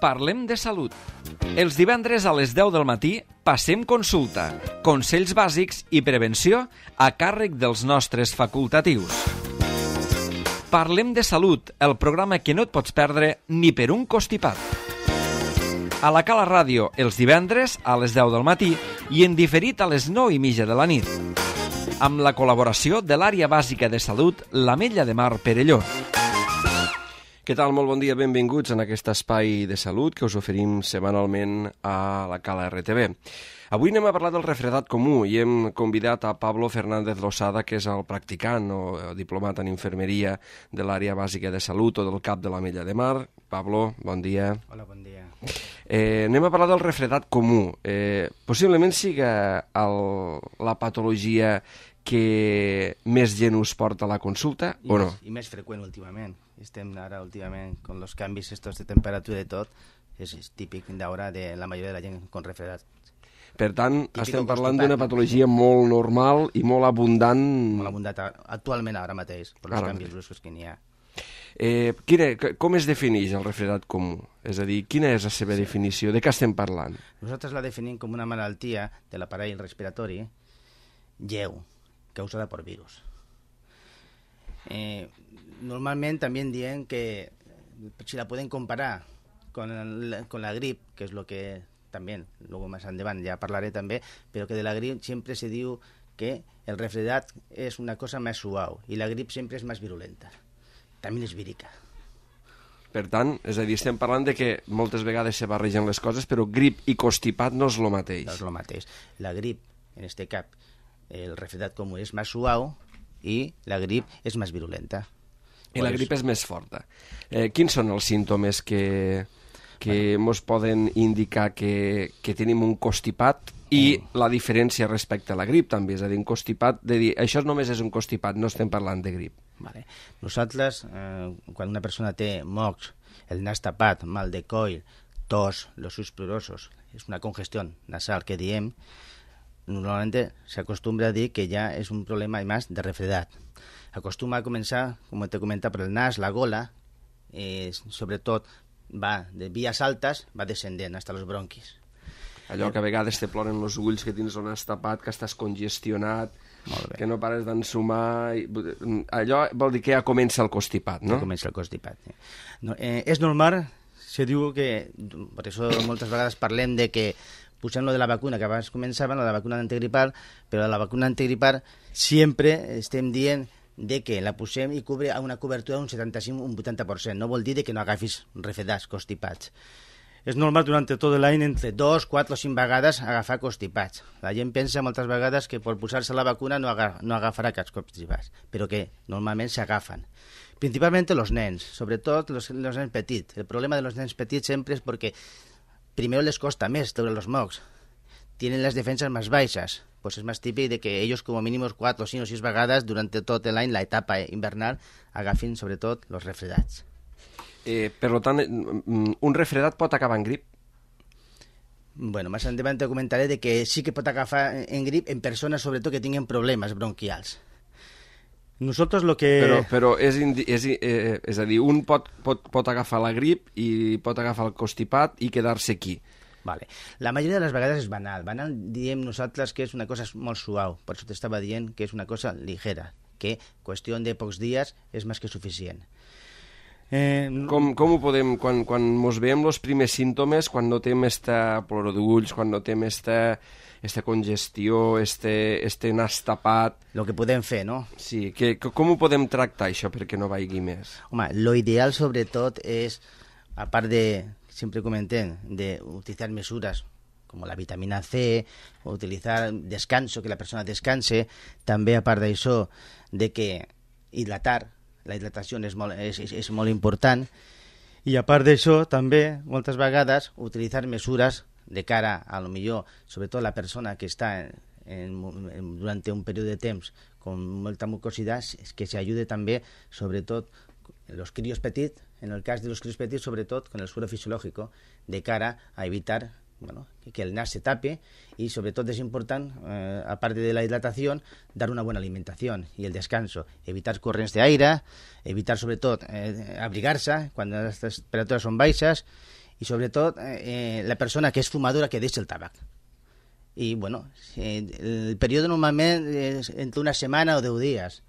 Parlem de salut. Els divendres a les 10 del matí passem consulta, consells bàsics i prevenció a càrrec dels nostres facultatius. Parlem de salut, el programa que no et pots perdre ni per un costipat. A la Cala Ràdio, els divendres a les 10 del matí i en diferit a les 9:30 de la nit. Amb la col·laboració de l'Àrea Bàsica de Salut, l'Ametlla de Mar Perelló. Què tal? Molt bon dia, benvinguts en aquest espai de salut que us oferim setmanalment a la Cala RTV. Avui anem a parlar del refredat comú i hem convidat a Pablo Fernández Losada, que és el practicant o diplomat en infermeria de l'Àrea Bàsica de Salut o del CAP de l'Ametlla de Mar. Pablo, bon dia. Hola, bon dia. Anem a parlar del refredat comú. Possiblement siga la patologia que més gent us porta a la consulta, o no? I més freqüent últimament. Estem ara últimament, con los canvis estos de temperatura i tot, és típic d'ara de la majoria de la gent con refredat. Per tant, estem parlant d'una patologia molt normal i molt abundant. Molt abundant actualment ara mateix, per els canvis bruscos que n'hi ha. Com es defineix el refredat comú? És a dir, quina és la seva definició? De què estem parlant? Nosaltres la definim com una malaltia de l'aparell respiratori lleu, causada per virus. Normalment també diem que si la podem comparar con la grip, que és lo que també, luego más endavant ja parlaré també, però que de la grip sempre se diu que el refredat és una cosa més suau i la grip sempre és més virulenta. També és vírica. Per tant, és a dir, estem parlant de que moltes vegades se barregen les coses, però grip i constipat no és el mateix. No és el mateix. La grip, en este cap, el refredat comú és més suau i la grip és més virulenta. I la grip és més forta. Quins són els símptomes que ens poden indicar que tenim un constipat i la diferència respecte a la grip també? És a dir, un constipat, de dir, això només és un constipat, no estem parlant de grip. Vale. Nosaltres, quan una persona té mocs, el nas tapat, mal de coll, tos, los ulls plorosos, és una congestió nasal que diem, normalment s'acostumbra a dir que ja és un problema més de refredat. Acostuma a començar, com t'he comentat, per el nas, la gola, sobretot va de vies altes, va descendent fins als bronquis. Allò que a vegades te ploren els ulls, que tens el nas tapat, que estàs congestionat, que no pares d'ensumar. Allò vol dir que ja comença el constipat, no? Ja comença el constipat. No, és normal, se diu que, per això moltes vegades parlem de que posem lo de la vacuna, que abans començaven, la vacuna antigripal, però la vacuna antigripal sempre estem dient de que la posem i cubre a una cobertura d'un 75 o un 80%. No vol dir que no agafis refredats, constipats. És normal durant tot l'any entre 2, 4 o 5 vegades agafar constipats. La gent pensa moltes vegades que per posar-se la vacuna no agafarà aquests constipats, però que normalment s'agafen. Principalment els nens, sobretot els nens petits. El problema dels nens petits sempre és perquè primer les costa més treure els mocs. Tienen les defenses més baixes. Pues és més típic de que ells com a mínim 4, 5 o 6 vegades durant tot l'any, la etapa invernal, agafin sobretot els refredats. Per tant, un refredat pot acabar en grip? Bueno, més endavant te comentaré de que sí que pot agafar en grip en persones sobretot que tinguin problemes bronquials. Nosotros lo que... Però és a dir, un pot agafar la grip i pot agafar el constipat i quedar-se aquí. Vale. La majoria de les vegades és banal. Banal diem nosaltres que és una cosa molt suau. Per això t'estava dient que és una cosa ligera, que qüestió de pocs dies és més que suficient. Com ho podem, quan ens veiem els primers símptomes, quan notem esta ploror d'ulls, quan notem esta congestió, este nas tapat... Lo que podem fer, no? Sí, com ho podem tractar, això, perquè no vagi més? Home, lo ideal, sobretot, és, a part de, sempre comentem, de utilizar mesures como la vitamina C, o utilizar descanso, que la persona descanse, també, a part d'això, de que hidratar, la hidratació és molt important, i a part d'això, també, moltes vegades, utilitzar mesures de cara a lo millor, sobretot la persona que està durant un període de temps con molta mucosidad, que se ayude també, sobretot, los críos petits, en el cas de los críos petits, sobretot con el suero fisiológico, de cara a evitar que el nas se tape y sobre todo es importante, aparte de la hidratación, dar una buena alimentación y el descanso, evitar corrients d'aire, evitar sobre todo abrigar-se quan les temperatures són baixes i sobretot la persona que és fumadora que deixa el tabac. I, bueno, el període normalment és entre una setmana o 10 dies,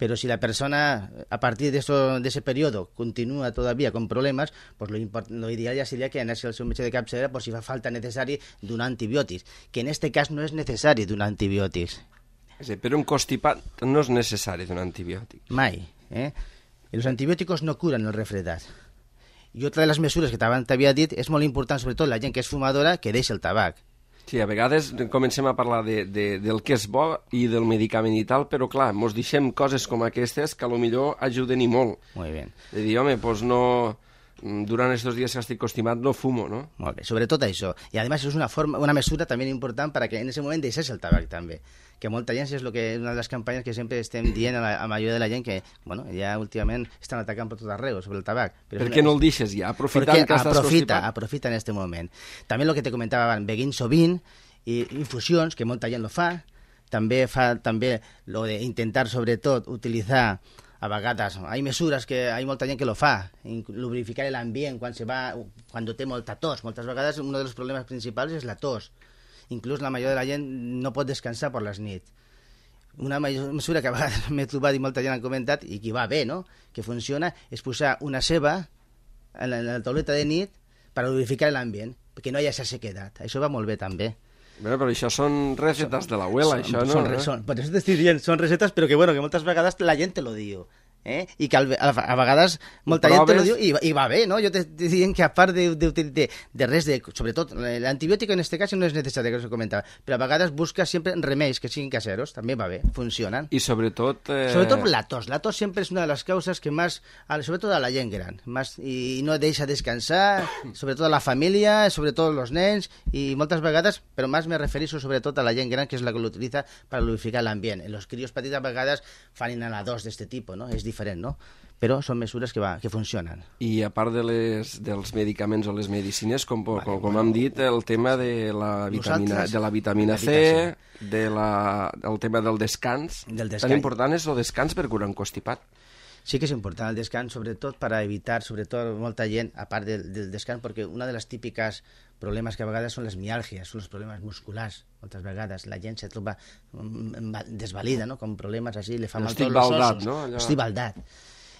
pero si la persona a partir de ese periodo continúa todavía con problemas, pues lo ideal ya sería que anés al seu metge de capçalera por si fa falta necessari donar antibiòtics, que en este cas no és necessari donar antibiòtics. Sí, però un constipat no és necessari donar antibiòtics. Mai. Los antibiòtics no curen el refredat. I otra de les mesures que t'havia dit és molt important, sobretot la gent que és fumadora, que deixa el tabac. Sí, a vegades comencem a parlar del que és bo i del medicament i tal, però clar, mos deixem coses com aquestes que potser ajuden i molt. Molt bé. De dir, home, doncs no... Durant aquests dies que estic constipat no fumo, no? Molt bé, sobretot això. I a més és una mesura també important perquè en aquest moment deixés el tabac també. Que molta gent és una de les campanyes que sempre estem dient a la majoria de la gent que, bueno, ja últimament estan atacant per tot arreu sobre el tabac. Per què no el deixes ja? Aprofitant que estàs constipat. Aprofita en aquest moment. També el que te comentava abans, beguint sovint, i infusions, que molta gent lo fa. També fa lo d'intentar, sobretot, utilitzar a vegades, hay mesures que hay molta gent que lo fa, lubrificar l'ambient quan té molta tos. Moltes vegades un dels problemes principals és la tos. Inclús la majoria de la gent no pot descansar per les nits. Una mesura que a vegades m'he trobat i molta gent ha comentat, i que va bé, no?, que funciona, és posar una ceba en la tauleta de nit per lubrificar l'ambient, perquè no hi ha aquesta sequedat. Això va molt bé també. Bueno, però això són recetes de l'abuela, això, no? Per això t'estic dient, són recetes, però que moltes vegades la gent te lo diu. I que a vegades molta gent te lo diu i va bé, no? Jo t'estic dient que a part de res, sobretot l'antibiòtic en aquest cas no és necessari, que us ho comentava, però a vegades busca sempre remeis que siguin caseros, també va bé, funcionen. I sobretot... Sobretot la tos sempre és una de les causes que més, sobretot a la gent gran, i no deixa descansar, sobretot a la família, sobretot els nens, i moltes vegades, però més me refereixo sobretot a la gent gran, que és la que l'utilitza per lubrificar l'ambient. Els crios petits a vegades fan inhaladors d'aquest tipus, no? És diferent, no? Però són mesures que funcionen. I a part dels medicaments o les medicines, com hem dit, el tema de la vitamina C, el tema del descans. Tan important és el descans per curar un constipat. Sí que és important el descans, sobretot per evitar, sobretot molta gent, a part del descans, perquè una de les típiques problemes que a vegades són les miàlgies, són els problemes musculars. Moltes vegades la gent se troba desvalida, no?, com problemes així, le fa mal tots els ossos. No? Estic baldat.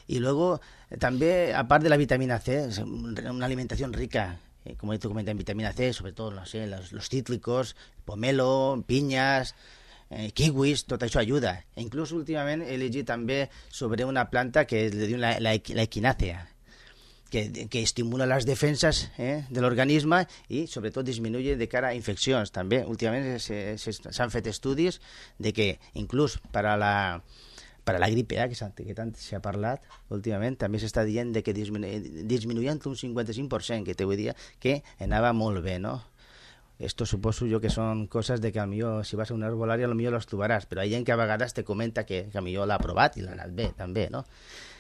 Y luego, també, a part de la vitamina C, una alimentación rica, como tú comentas, en vitamina C, sobre todo, no sé, los cítricos, pomelo, piñas, kiwis, tot això ajuda. E inclús últimament he llegit també sobre una planta que le diu la equinàcea, que estimula les defenses de l'organisme i sobretot disminuye de cara a infeccions. També últimament s'han fet estudis de que inclús per a la gripe que tant s'ha parlat últimament, també s'està dient que disminuïa un 55%, que te vull dir que anava molt bé, no? Esto suposo jo que són coses de que potser si vas a una herbolària potser les trobaràs, però hi ha gent que a vegades te comenta que potser l'ha provat i l'ha anat bé, també, no?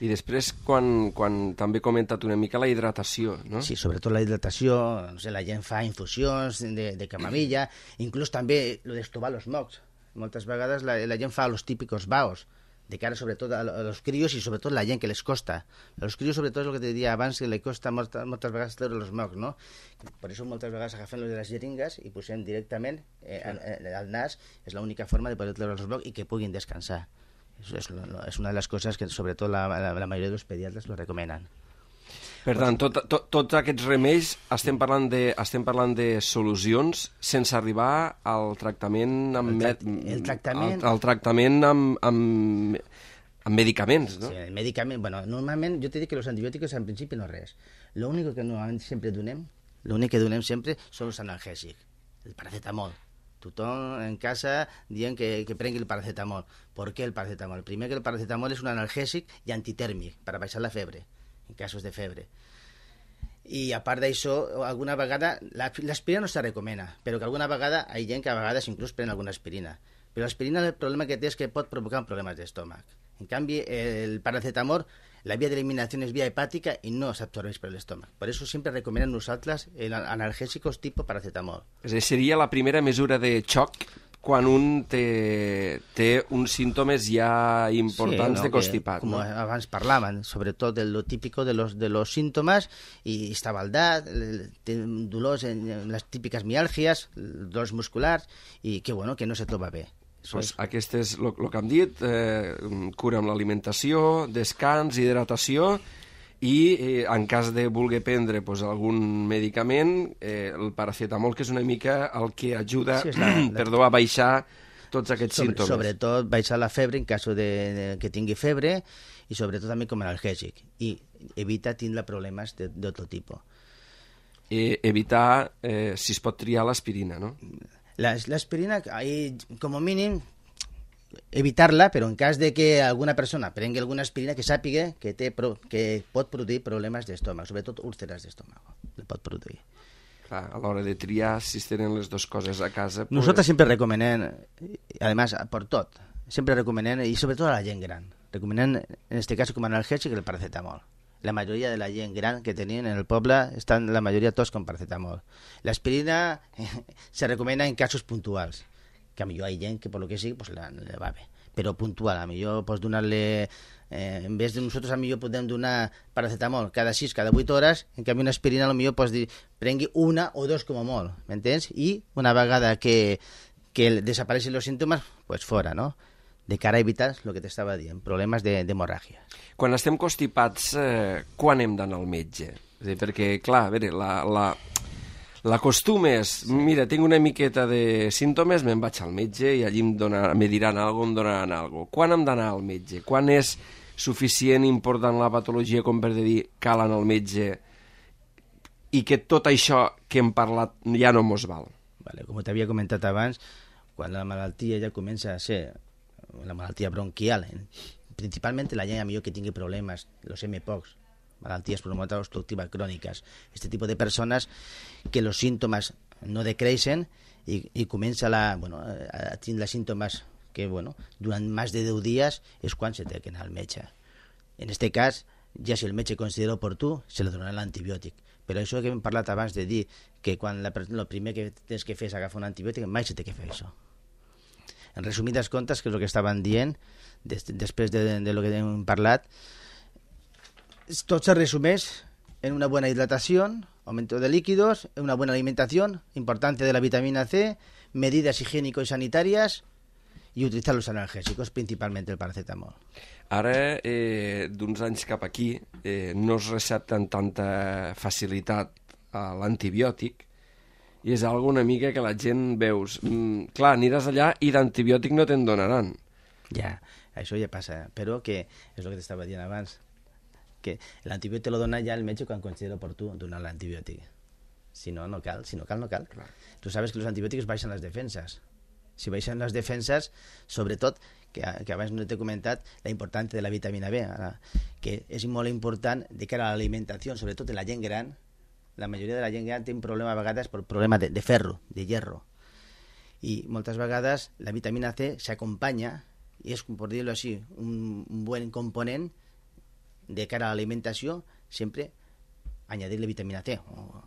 I després, quan també he comentat una mica la hidratació, no? Sí, sobretot la hidratació, no sé, la gent fa infusions de camamilla, inclús també lo d'estovar els mocs. Moltes vegades la gent fa els típicos baos, de cara sobretot a los críos i sobretot la gent que les costa. A los críos sobretot és el que te diria abans, que li costa moltes vegades treure els mocs, no? Per això moltes vegades agafem les de les jeringues i posem directament al nas, és l'única forma de poder treure els mocs i que puguin descansar. És una de les coses que sobretot la majoria dels pediatres lo recomenen. Per tant, tots aquests remeis estem parlant de solucions sense arribar al tractament amb medicaments, no? Sí, el medicament, bueno, normalment jo t'he dit que els antibiòtics en principi no res. L'únic que normalment sempre donem, sempre són els analgèsics, el paracetamol. Tothom en casa dient que prengui el paracetamol. ¿Por qué el paracetamol? Primer, que el paracetamol és un analgèsic i antitèrmic per a baixar la febre, en casos de febre. I a part d'això, alguna vegada l'aspirina no se recomana, però que alguna vegada hi ha gent que a vegades inclús pren alguna aspirina. Però l'aspirina el problema que té és que pot provocar problemes d'estómac. En canvi, el paracetamol, la via d'eliminació és via hepàtica i no s'absorbeix per l'estómac. Per això sempre recomanem nosaltres analgèsicos tipus paracetamol. És a dir, seria la primera mesura de xoc quan un té uns símptomes ja importants de constipat. Com abans parlaven, sobretot de lo típico de los síntomas, i està baldat, té dolors en les típiques miàlgies, dolors musculars, i que no se troba bé. Pues aquest és el que hem dit, cura amb l'alimentació, descans, hidratació, i en cas de voler prendre algun medicament, el paracetamol, que és una mica el que ajuda a baixar tots aquests símptomes. Sobretot baixar la febre en cas que tingui febre, i sobretot també com a analgèsic, i evita tindre problemes d'altre tipus. Evitar, si es pot triar, l'aspirina, no? L'aspirina, com a mínim, evitar-la, però en cas de que alguna persona prengui alguna aspirina, que sàpiga que pot produir problemes d'estómac, sobretot úlceres d'estómac. Le pot produir. Clar, a l'hora de triar, si es tenen les dues coses a casa... Nosotros siempre recomenem, además, por tot, siempre recomenem, y sobre todo a la gent gran, recomenem, en este caso, com a analgèsic, el paracetamol. La majoria de la gent gran que tenien en el poble estan la majoria tots con paracetamol. L'aspirina se recomana en casos puntuals, que a millor hi ha gent que per lo que sigui pues le va bé, però puntual, a millor pots donar-le en vez de nosaltres a millor podem donar paracetamol cada 6, cada 8 hores, en canvi una aspirina a lo millor pots dir prengui una o dos com a molt, m'entens? I una vegada que desapareixen els símptomes, pues fora, no? De cara a evitar el que t'estava dient, problemes d'hemorràgia. Quan estem constipats, quan hem d'anar al metge? És a dir, perquè, clar, a veure, l'acostum és, mira, tinc una miqueta de símptomes, me'n vaig al metge i allí me diran alguna cosa, em donaran alguna cosa. Quan hem d'anar al metge? Quan és suficient, important la patologia com per dir cal anar al metge i que tot això que hem parlat ja no mos val? Vale, com t'havia comentat abans, quan la malaltia ja comença a ser la malaltia bronquial, principalment la gent millor que tingui problemes, los MPOCs, malalties pulmonars obstructivas cròniques, este tipus de persones que els símptomes no decreixen i comença a tindre símptomes que, durant més de 10 dies és quan se té que anar al metge. En aquest cas, ja si el metge considera oportú, se li donarà l'antibiòtic. Però això que hem parlat abans de dir que quan el primer que tens que fer és agafar un antibiòtic, mai se té que fer això. En resumides comptes, que és el que estaven dient, després de lo que hem parlat, tot se resumeix en una buena hidratación, aumento de líquidos, una buena alimentación, importancia de la vitamina C, medidas higiénico-sanitarias y utilizar los analgésicos, principalmente el paracetamol. Ara, d'uns anys cap aquí, no es recepta amb tanta facilitat l'antibiòtic, i és algo una mica que la gent veus. Clar, aniràs allà i d'antibiòtic no te'n donaran. Ja, això ja passa, però que és el que t'estava dient abans, que l'antibiòtic te lo dona ja el metge quan considera oportú donar l'antibiòtic. Si no, no cal. Si no cal, no cal. Clar. Tu sabes que els antibiòtics baixen les defenses. Si baixen les defenses, sobretot, que abans no t'he comentat, la importància de la vitamina B, que és molt important de cara a l'alimentació, sobretot en la gent gran. La majoria de la gent gran té un problema a vegades per problema de ferro, de hierro. I moltes vegades la vitamina C s'acompanya, i és, per dir-ho així, un bon component de cara a l'alimentació, sempre añadir-li vitamina C, o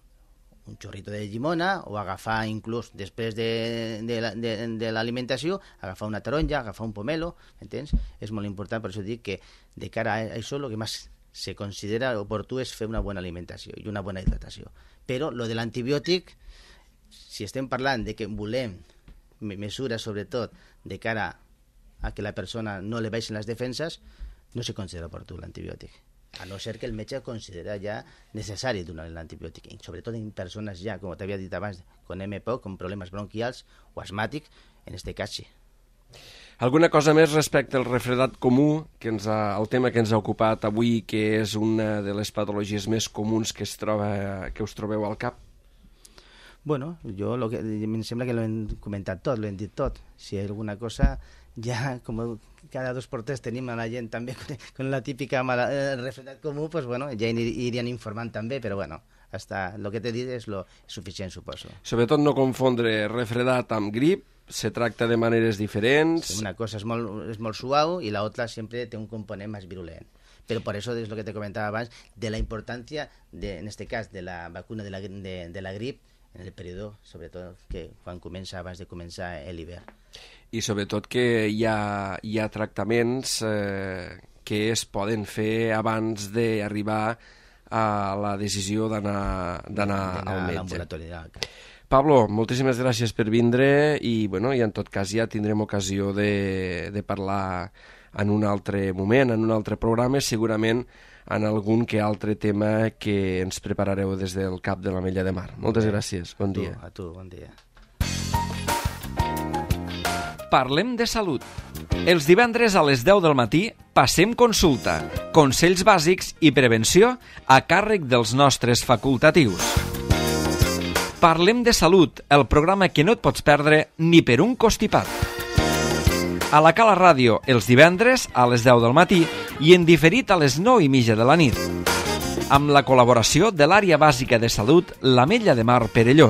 un xorrito de llimona, o agafar inclús després de l'alimentació, agafar una taronja, agafar un pomelo, m'entens? És molt important, per això dic que de cara a això el que més se considera oportú és fer una bona alimentació i una bona hidratació. Però lo de l'antibiòtic, si estem parlant de que volem mesures sobretot de cara a que la persona no li baixin les defenses, no se considera oportú l'antibiòtic. A no ser que el metge considera ja necessari donar l'antibiòtic, sobretot en persones ja, com t'havia dit abans, con MPOC, con problemes bronquials o asmàtics, en este cas sí. Alguna cosa més respecte al refredat comú, el tema que ens ha ocupat avui, que és una de les patologies més comuns que us trobeu al cap? Bueno, em sembla que l'hem comentat tot, l'hem dit tot. Si hi ha alguna cosa, ja com cada 2 por 3 tenim a la gent també con la típica refredat comú, pues bueno, ja irien informant també, però bueno, hasta el que t'he dit és suficient, suposo. Sobretot no confondre refredat amb grip, se tracta de maneres diferents. Sí, una cosa és molt suau i la otra sempre té un component més virulent. Però per això és el que te comentava abans, de la importància, en este cas, de la vacuna de la grip en el període, sobretot, que quan comença, abans de començar l'hivern. I sobretot que hi ha tractaments que es poden fer abans d'arribar a la decisió d'anar al metge. L'ambulatori. Pablo, moltíssimes gràcies per vindre i en tot cas ja tindrem ocasió de parlar en un altre moment, en un altre programa, segurament en algun que altre tema que ens preparareu des del CAP de l'Ametlla de Mar. Moltes gràcies, bon dia. A tu, bon dia. Parlem de salut. Els divendres a les 10 del matí passem consulta, consells bàsics i prevenció a càrrec dels nostres facultatius. Parlem de salut, el programa que no et pots perdre ni per un costipat. A la Cala Ràdio, els divendres a les 10 del matí i en diferit a les 9:30 de la nit. Amb la col·laboració de l'Àrea Bàsica de Salut, l'Ametlla de Mar Perelló.